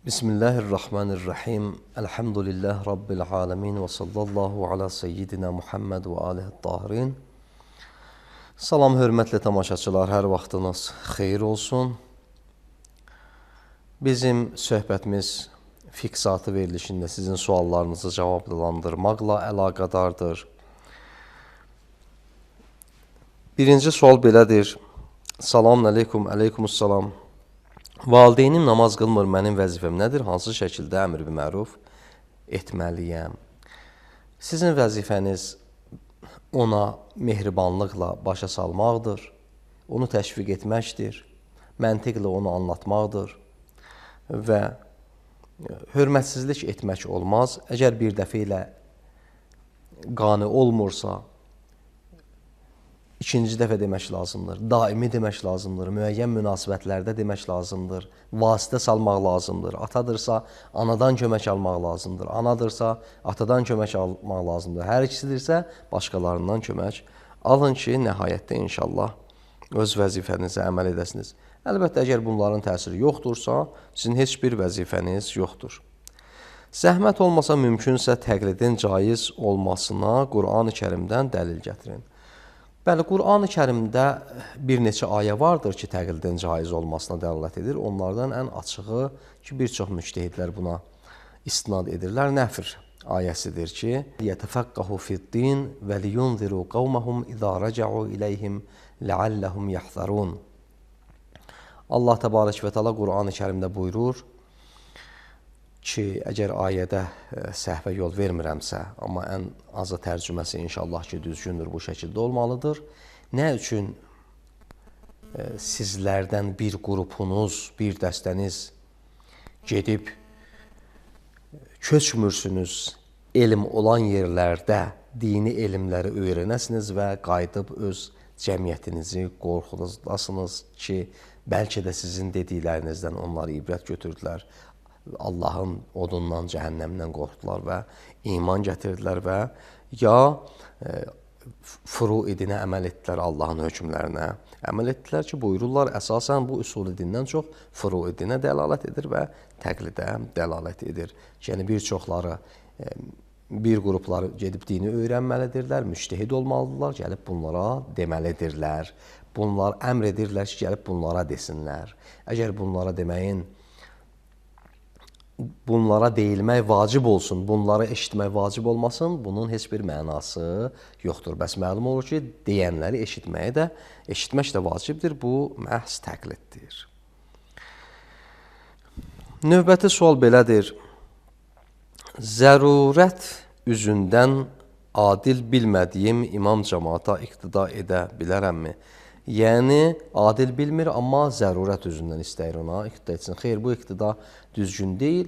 Bismillahirrahmanirrahim. Elhamdülillah Rabbil alemin ve sallallahu ala seyyidina Muhammed ve alihi tahirin. Salam, hörmətli tamaşaçılar, hər vaxtınız xeyir olsun. Bizim söhbətimiz fiqh verilişində sizin suallarınızı cavablandırmaqla əlaqədardır. Birinci sual belədir. Salamun aleykum, aleykumussalam. Valideynim namaz qılmır, mənim vəzifəm nədir? Hansı şəkildə əmr bi məruf etməliyəm? Sizin vəzifəniz ona mehribanlıqla başa salmaqdır, onu təşviq etməkdir, məntiqlə onu anlatmaqdır və hörmətsizlik etmək olmaz. Əgər bir dəfə ilə qane olmursa, İkinci dəfə demək lazımdır, daimi demək lazımdır, müəyyən münasibətlərdə demək lazımdır, vasitə salmaq lazımdır. Atadırsa, anadan kömək almaq lazımdır, anadırsa, atadan kömək almaq lazımdır. Hər ikisidirsə, başqalarından kömək alın ki, nəhayətdə inşallah öz vəzifənizə əməl edəsiniz. Əlbəttə, əgər bunların təsiri yoxdursa, sizin heç bir vəzifəniz yoxdur. Zəhmət olmasa, mümkünsə təqlidin caiz olmasına Qur'an-ı Kərimdən dəlil gətirin. Bəli, Qur'an-ı Kərimdə bir neçə ayə vardır ki, təqlidin caiz olmasına dəlalət edir. Onlardan ən açığı ki, bir çox müctəhidlər buna istinad edirlər. Nəfr ayəsidir ki, yətəfəqqəhu fiddin və liyunziru qavməhum izə rəcəu iləyhim ləalləhum yəhzərun. Allah təbarək və təala Qur'an-ı Kərimdə buyurur ki, əgər ayədə səhvə yol vermirəmsə, amma ən azı tərcüməsi inşallah ki, düzgündür, bu şəkildə olmalıdır. Nə üçün sizlərdən bir qrupunuz, bir dəstəniz gedib köçmürsünüz, elm olan yerlərdə dini elmləri öyrənəsiniz və qayıdıb öz cəmiyyətinizi qorxudasınız ki, bəlkə də sizin dediklərinizdən onlar ibrət götürdülər. Allahın odundan, cəhənnəmdən qorxdular və iman gətirdilər və ya furuidinə əməl etdilər, Allahın hökmlərinə əməl etdilər ki, buyururlar, əsasən bu usul dindən çox furuidinə dəlalət edir və təqlidə dəlalət edir. Yəni, bir çoxları, bir qrupları gedib dini öyrənməlidirlər, müctəhid olmalıdırlar, gəlib bunlara deməlidirlər. Bunlar əmr edirlər ki, gəlib bunlara desinlər. Əgər bunlara deməyin, bunlara deyilmək vacib olsun, bunları eşitmək vacib olmasın, bunun heç bir mənası yoxdur. Bəs məlum olur ki, deyənləri eşitmək də vacibdir, bu məhz təqliddir. Növbəti sual belədir. Zərurət üzündən adil bilmədiyim imam cəmaata iqtida edə bilərəmmi? Yəni, adil bilmir, amma zərurət üzündən istəyir ona iqtida etsin. Xeyr, bu iqtida düzgün deyil.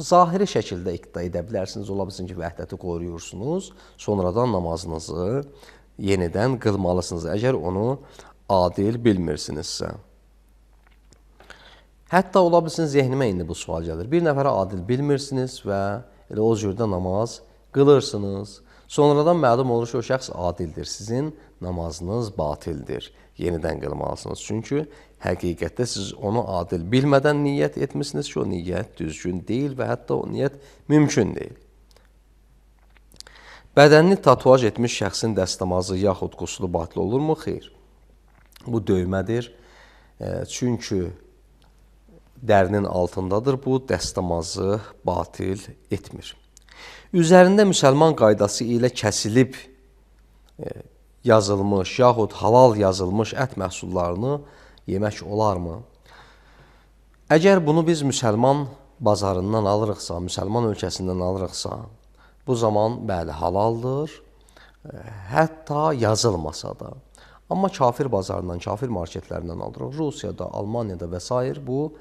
Zahiri şəkildə iqtida edə bilərsiniz. Ola bilsin ki, vəhdəti qoruyursunuz. Sonradan namazınızı yenidən qılmalısınız, əgər onu adil bilmirsinizsə. Hətta ola bilsin, zehnimə indi bu sual gəlir. Bir nəfərə adil bilmirsiniz və elə o cürdə namaz qılırsınız. Sonradan məlum olur ki, o şəxs adildir. Sizin namazınız batildir. Yenidən qılmalısınız. Çünki həqiqətdə siz onu adil bilmədən niyyət etmişsiniz ki, o niyyət düzgün deyil və hətta o niyyət mümkün deyil. Bədənini tatuaj etmiş şəxsin dəstəmazı yaxud quslu batil olurmu? Xeyr. Bu döymədir. Çünki dərinin altındadır. Bu dəstəmazı batil etmir. Üzərində müsəlman qaydası ilə kəsilib yazılmış, yaxud halal yazılmış ət məhsullarını yemək olarmı? Əgər bunu biz müsəlman bazarından alırıqsa, müsəlman ölkəsindən alırıqsa, bu zaman bəli halaldır, hətta yazılmasa da. Amma kafir bazarından, kafir marketlərindən alırıq, Rusiyada, Almaniyada və s. bu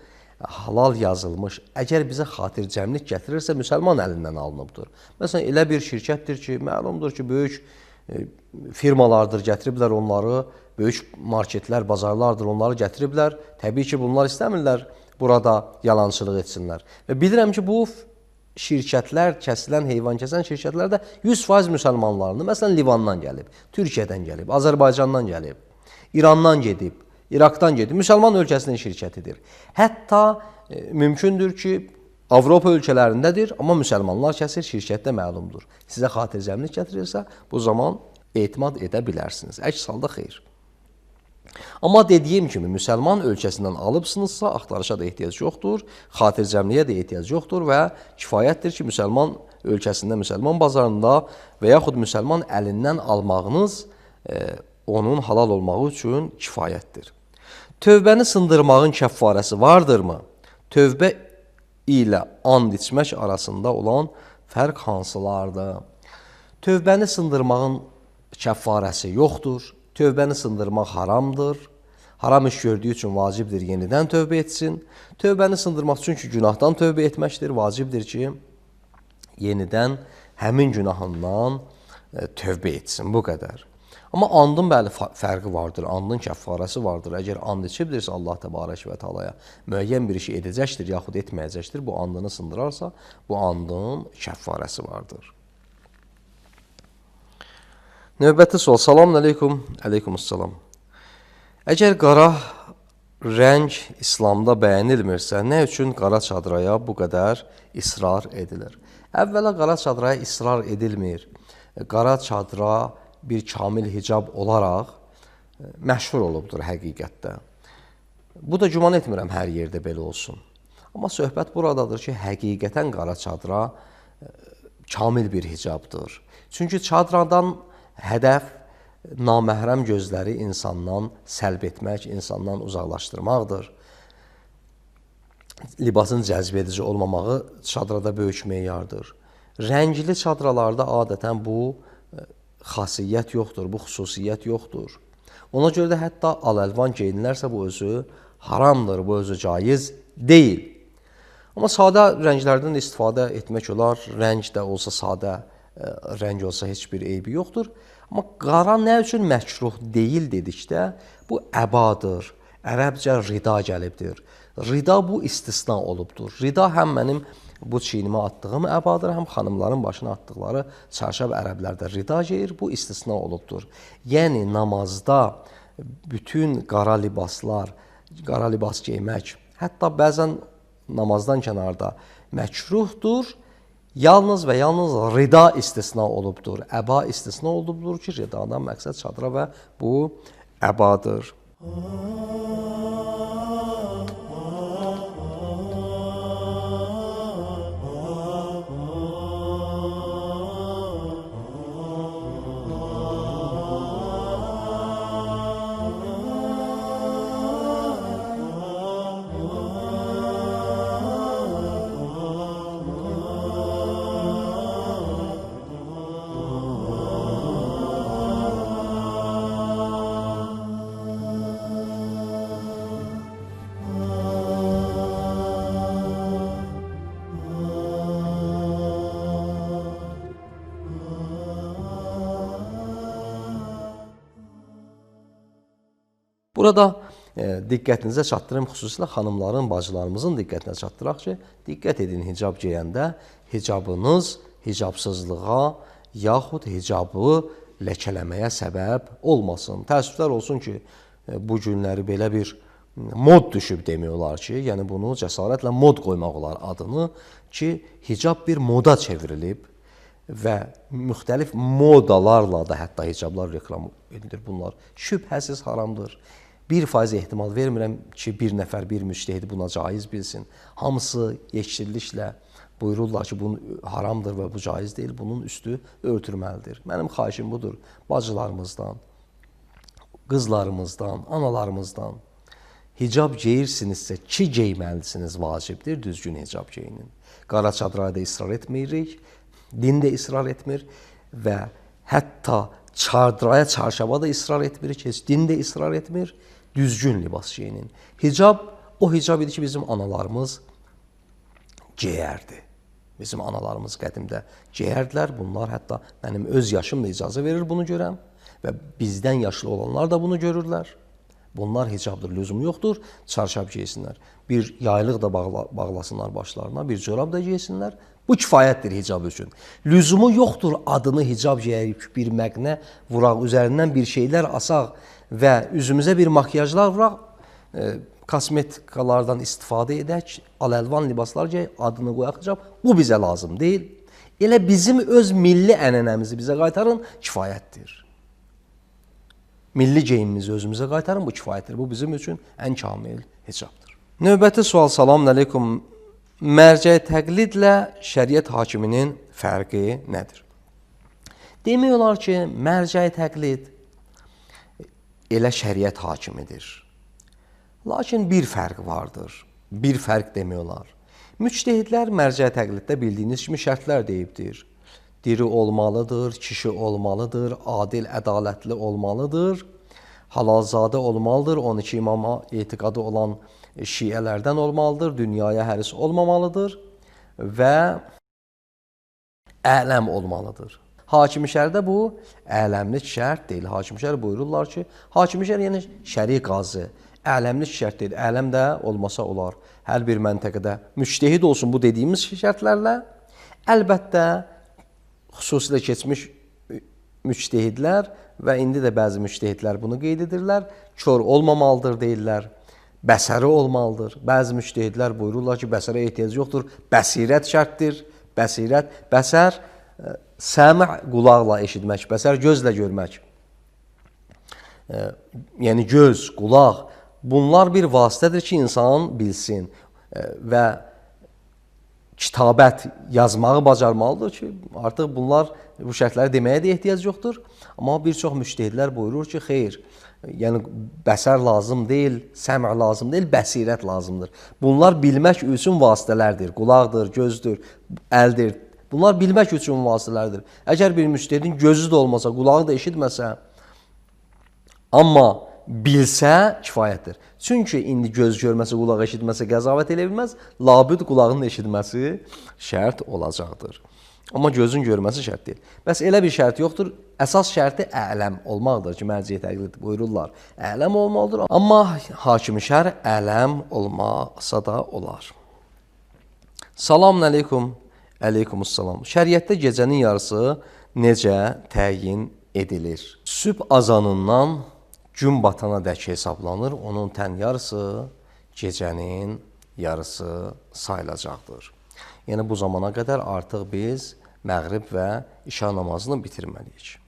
halal yazılmış, əgər bizə xatircəmlik gətirirsə, müsəlman əlindən alınıbdır. Məsələn, elə bir şirkətdir ki, məlumdur ki, böyük firmalardır, gətiriblər onları, böyük marketlər, bazarlardır, onları gətiriblər. Təbii ki, bunlar istəmirlər burada yalançılıq etsinlər. Və bilirəm ki, bu şirkətlər, kəsilən, heyvan kəsən şirkətlər də 100% müsəlmanlarını, məsələn, Livandan gəlib, Türkiyədən gəlib, Azərbaycandan gəlib, İrandan gedib, İraqdan gedib, müsəlman ölkəsinin şirkətidir. Hətta mümkündür ki, Avropa ölkələrindədir, amma müsəlmanlar kəsir, şirkətdə məlumdur. Sizə xatircəmlik gətirirsə, bu zaman etimad edə bilərsiniz. Əks halda xeyr. Amma dediyim kimi, müsəlman ölkəsindən alıbsınızsa, axtarışa da ehtiyac yoxdur, xatircəmliyə də ehtiyac yoxdur və kifayətdir ki, müsəlman ölkəsində, müsəlman bazarında və yaxud müsəlman əlindən almağınız onun halal olmağı üçün kifayətdir. Tövbəni sındırmağın kəffarəsi vardırmı? Tövbə ilə and içmək arasında olan fərq hansılardır? Tövbəni sındırmağın kəffarəsi yoxdur. Tövbəni sındırmaq haramdır. Haram iş gördüyü üçün vacibdir yenidən tövbə etsin. Tövbəni sındırmaq üçün ki, günahdan tövbə etməkdir. Vacibdir ki, yenidən həmin günahından tövbə etsin. Bu qədər. Amma andın bəli fərqi vardır, andın kəffarəsi vardır. Əgər and içibdirsə Allah təbarək və teala'ya müəyyən bir işi edəcəkdir, yaxud etməyəcəkdir, bu andını sındırarsa, bu andın kəffarəsi vardır. Növbəti sual. Salamun aleykum. Aleykumussalam. Əgər qara rəng İslamda bəyənilmirsə, nə üçün qara çadraya bu qədər israr edilir? Əvvəla qara çadraya israr edilmir. Qara çadra bir kamil hicab olaraq məşhur olubdur həqiqətdə. Bu da güman etmirəm hər yerdə belə olsun. Amma söhbət buradadır ki, həqiqətən qara çadra kamil bir hicabdır. Çünki çadradan hədəf naməhrəm gözləri insandan səlb etmək, insandan uzaqlaşdırmaqdır. Libasın cəzb edici olmamağı çadrada böyük meyardır. Rəngli çadralarda adətən bu xasiyyət yoxdur, bu xüsusiyyət yoxdur. Ona görə də hətta al-əlvan geyinlərsə bu özü haramdır, bu özü caiz deyil. Amma sadə rənglərdən istifadə etmək olar, rəng də olsa sadə rəng olsa heç bir eybi yoxdur. Amma qara nə üçün məkruh deyil dedikdə, bu əbadır, ərəbcə rida gəlibdir. Rida bu istisna olubdur. Rida həm mənim bu çiynimə atdığım əbadır, həm xanımların başına atdıqları çarşab ərəblərdə rida geyir, bu istisna olubdur. Yəni, namazda bütün qara libaslar, qara libas geymək, hətta bəzən namazdan kənarda məkruhdur, yalnız və yalnız rida istisna olubdur. Əba istisna olubdur ki, ridadan məqsəd çadıra və bu əbadır. Burada diqqətinizə çatdırım, xüsusilə xanımların, bacılarımızın diqqətinə çatdıraq ki, diqqət edin hicab geyəndə, hicabınız hicabsızlığa yaxud hicabı ləkələməyə səbəb olmasın. Təəssüflər olsun ki, bu günləri belə bir mod düşüb demək olar ki, yəni bunu cəsarətlə mod qoymaq olar adını ki, hicab bir moda çevrilib və müxtəlif modalarla da hətta hicablar reklam edilir. Bunlar şübhəsiz haramdır. 1% ehtimal vermirəm ki, bir nəfər, bir müştəhid buna caiz bilsin. Hamısı yekşilliklə buyururlar ki, bu haramdır və bu caiz deyil, bunun üstü örtülməlidir. Mənim xahişim budur, bacılarımızdan, qızlarımızdan, analarımızdan hicab geyirsinizsə ki, geyməlisiniz, vacibdir, düzgün hicab geyinin. Qara çadraya da israr etmirik, din də israr etmir və hətta çadraya, çarşaba da israr etmirik, heç din də israr etmir, düzgün libas geyinin. Hicab, o hicab idi ki, bizim analarımız geyərdi. Bizim analarımız qədimdə geyərdilər, bunlar hətta mənim öz yaşım da icazə verir bunu görəm və bizdən yaşlı olanlar da bunu görürlər. Bunlar hicabdır, lüzum yoxdur, çarşab geysinlər. Bir yaylıq da bağlasınlar başlarına, bir corab da geysinlər. Bu kifayətdir hicab üçün. Lüzumu yoxdur adını hicab geyərək bir məqnə vuraq, üzərindən bir şeylər asaq və üzümüzə bir makyajlar vuraq, kosmetikalardan istifadə edək, al-əlvan libaslar geyək, adını qoyaq, bu bizə lazım deyil. Elə bizim öz milli ənənəmizi bizə qaytarın, kifayətdir. Milli geyimimizi özümüzə qaytarın, bu kifayətdir. Bu bizim üçün ən kamil hicabdır. Növbəti sual, salamun aleykum. Mərcə təqlidlə şəriət hakiminin fərqi nədir? Demək olar ki, mərcə təqlid elə şəriət hakimidir. Lakin bir fərq vardır. Bir fərq demək olar. Müctehidlər mərcə təqliddə bildiyiniz kimi şərtlər deyibdir. Diri olmalıdır, kişi olmalıdır, adil, ədalətli olmalıdır, halalzadə olmalıdır, 12 imama etiqadı olan şiələrdən olmalıdır, dünyaya həris olmamalıdır və ələm olmalıdır. Hakim-i şərdə bu ələmlik şərt deyil. Hakim-i şər buyururlar ki, hakim-i şər yəni şəri qazı, ələmlik şərt deyil. Ələm də olmasa olar. Hər bir məntəqədə müctehid olsun bu dediyimiz şərtlərlə. Əlbəttə, xüsusilə keçmiş müctehidlər və indi də bəzi müctehidlər bunu qeyd edirlər. Kör olmamalıdır deyirlər. Bəsəri olmalıdır. Bəzi müctehidlər buyururlar ki, bəsərə ehtiyac yoxdur. Bəsirət şərtdir. Bəsirət, bəsər, səmi qulaqla eşitmək, bəsər gözlə görmək. Yəni göz, qulaq, bunlar bir vasitədir ki, insan bilsin və kitabət yazmağı bacarmalıdır ki, artıq bunlar bu şərtləri deməyə də ehtiyac yoxdur. Amma bir çox müctehidlər buyurur ki, xeyr, yəni bəsər lazım deyil, səmዕ lazım deyil, bəsirət lazımdır. Bunlar bilmək üçün vasitələrdir. Qulaqdır, gözdür, əldir. Bunlar bilmək üçün vasitələrdir. Əgər bir müctehidin gözü də olmasa, qulağı da eşitməsə, amma bilsə kifayətdir. Çünki indi göz görməsə, qulaq eşitməsə qəzavət elə bilməz, labüd qulağının eşitməsi şərt olacaqdır. Amma gözün görməsi şərt deyil. Bəs elə bir şərt yoxdur. Əsas şərti ələm olmaqdır ki, mərcə təqlid buyururlar. Ələm olmalıdır. Amma hakim-i şər ələm olmasa da olar. Salamun aleykum. Əleykumussalam. Şəriətdə gecənin yarısı necə təyin edilir? Sübh azanından gün batana dək hesablanır. Onun tən yarısı gecənin yarısı sayılacaqdır. Yəni bu zamana qədər artıq biz məğrib və işa namazını bitirməliyik.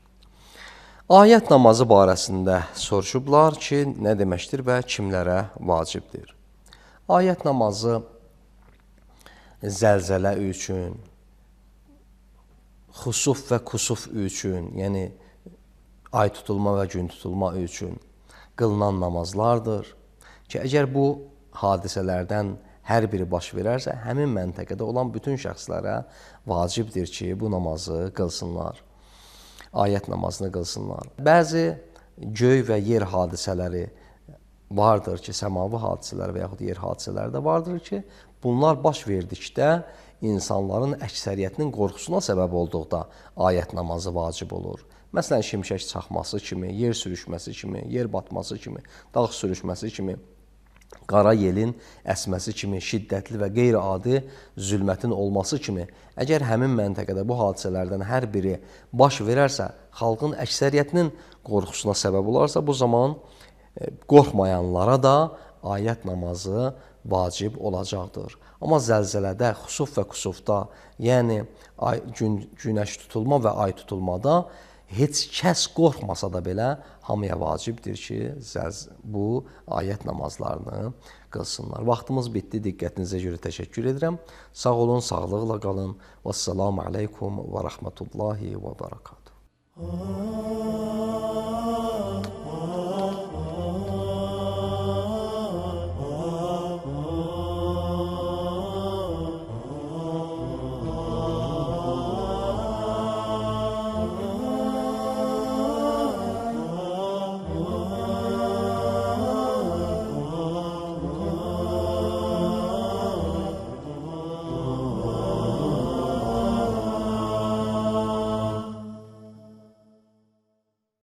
Ayət namazı barəsində soruşublar ki, nə deməkdir və kimlərə vacibdir? Ayət namazı zəlzələ üçün, xusuf və kusuf üçün, yəni ay tutulma və gün tutulma üçün qılınan namazlardır ki, əgər bu hadisələrdən hər biri baş verərsə, həmin məntəqədə olan bütün şəxslərə vacibdir ki, bu namazı qılsınlar, ayət namazını qılsınlar. Bəzi göy və yer hadisələri vardır ki, səmavi hadisələr və yaxud yer hadisələri də vardır ki, bunlar baş verdikdə insanların əksəriyyətinin qorxusuna səbəb olduqda ayət namazı vacib olur. Məsələn, şimşək çaxması kimi, yer sürüşməsi kimi, yer batması kimi, dağ sürüşməsi kimi, qara yelin əsməsi kimi, şiddətli və qeyri-adi zülmətin olması kimi, əgər həmin məntəqədə bu hadisələrdən hər biri baş verərsə, xalqın əksəriyyətinin qorxusuna səbəb olarsa, bu zaman qorxmayanlara da ayət namazı vacib olacaqdır. Amma zəlzələdə, xusuf və kusufda, yəni günəş tutulma və ay tutulmada heç kəs qorxmasa da belə hamıya vacibdir ki, bu ayət namazlarını qılsınlar. Vaxtımız bitdi, diqqətinizə görə təşəkkür edirəm. Sağ olun, sağlıqla qalın. Vəssalamu aleykum və rəhmətullahi və bərəkatuhu.